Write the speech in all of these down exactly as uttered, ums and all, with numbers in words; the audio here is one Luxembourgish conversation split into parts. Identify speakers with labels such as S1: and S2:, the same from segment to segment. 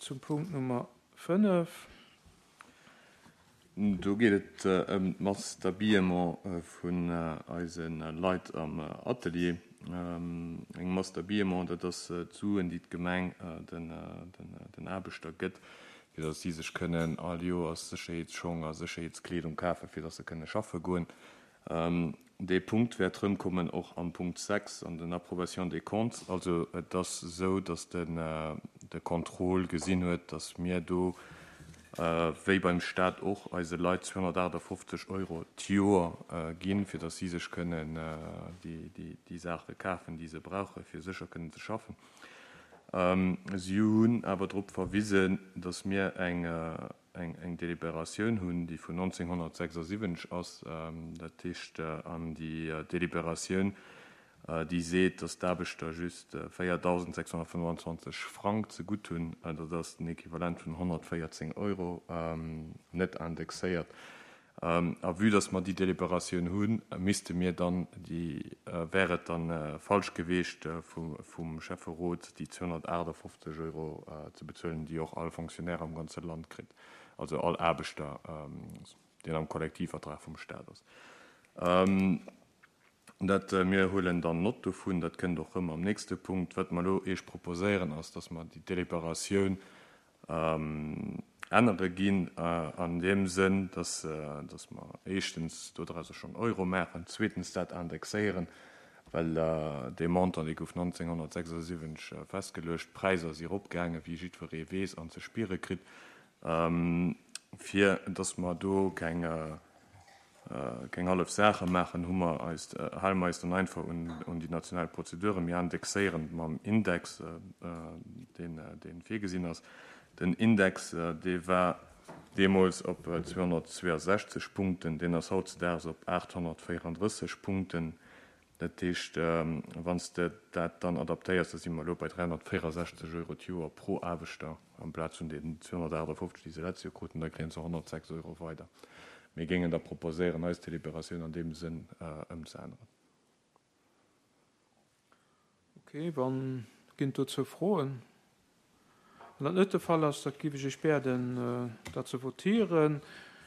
S1: zum Punkt Nummer fënnef.
S2: Do geet et ëm d'Masse d'habillement vun eise Leit am Atelier. Eng Masse d'habillement, dat ass d'Suen, déi d'Gemeng den Aarbechter gëtt, fir datt si sech kënnen all Joers Sécherheetsschong a Sécherheetskleedung kafen, fir datt se kënne schaffe goen. Dee Punkt wäert erëmkommen och am Punkt sechs an den Approbation des comptes. Also et ass esou, datt de Contrôle gesinn huet, datt mir do, wéi beim Stat och, eise Leit zweehonnertaachtafofzeg Euro d'Joer ginn, fir datt si sech kënnen déi Saache kafen, déi se brauchen, fir sécher kënnen ze schaffen. Si hunn awer drop verwisen, datt mir eng Deliberatioun hunn, déi vun nonzénghonnertsechsasiwwenzeg ass. Dat heescht, an déi Deliberatioun, déi seet, datt d'Aarbechter just véiertausendsechshonnertfënnwandzwanzeg Frang zegutt hunn, dat ass den Equivalent vun honnertvéierzéng Euro, net indexéiert. A vue datt mer déi Deliberatioun hunn, misste mir dann déi, wär et dann falsch geweecht vum Schäfferot, déi zweehonnertaachtafofzeg Euro ze bezuelen, déi och all Fonctionnaire am ganze Land kritt, also all Aarbechter, deen am Kollektivvertrag vum Stat ass. Dat, mir huelen dann Nott dovun, dat kënnt och rëm am nächste Punkt. Wat mer elo Iech proposéieren, ass, datt mer déi Deliberatioun ännere ginn an deem Sënn, datt, datt mer éischtens dodrauser schonn Euro maachen, zweetens dat indexéieren, well dee Montant, dee gouf nonzénghonnertsechsasiwwenzeg festgeluecht, d'Präisser si eropgaangen, wéi jiddweree weess an ze spiere kritt, fir datt mer do keng, keng hallef Saache maachen, hu mer eis, hale mer eis dann einfach un, un déi national Prozeduren. Mir indexéieren mam Index, deen, dee virgesinn ass. Den Index, dee war deemools op zweehonnertzweeasechzeg Punkten, deen ass hautzedaags op aathonnertvéierandrësseg Punkten. Dat heescht, wann s de dat dann adaptéiers, da si mer elo bei dräihonnertvéierasechzeg Euro d'Joer pro Aarbechter amplaz vun deenen zweehonnertaachtafofzeg, déi se letzt Joer kruten. Da kréie se honnertsechs Euro weider. Mir géingen da proposéieren, eis Deliberatioun an deem Sënn ëmzeänneren.
S1: Okay, wann ginn dozou Froen? Wann dat net de Fall ass, da géif ech Iech bieden, dat ze votieren.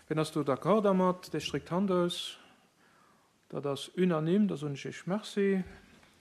S1: Wien ass do d'accord dermat? Dee streckt d'Hand aus. Dat ass unanime, da soen ech Iech Merci.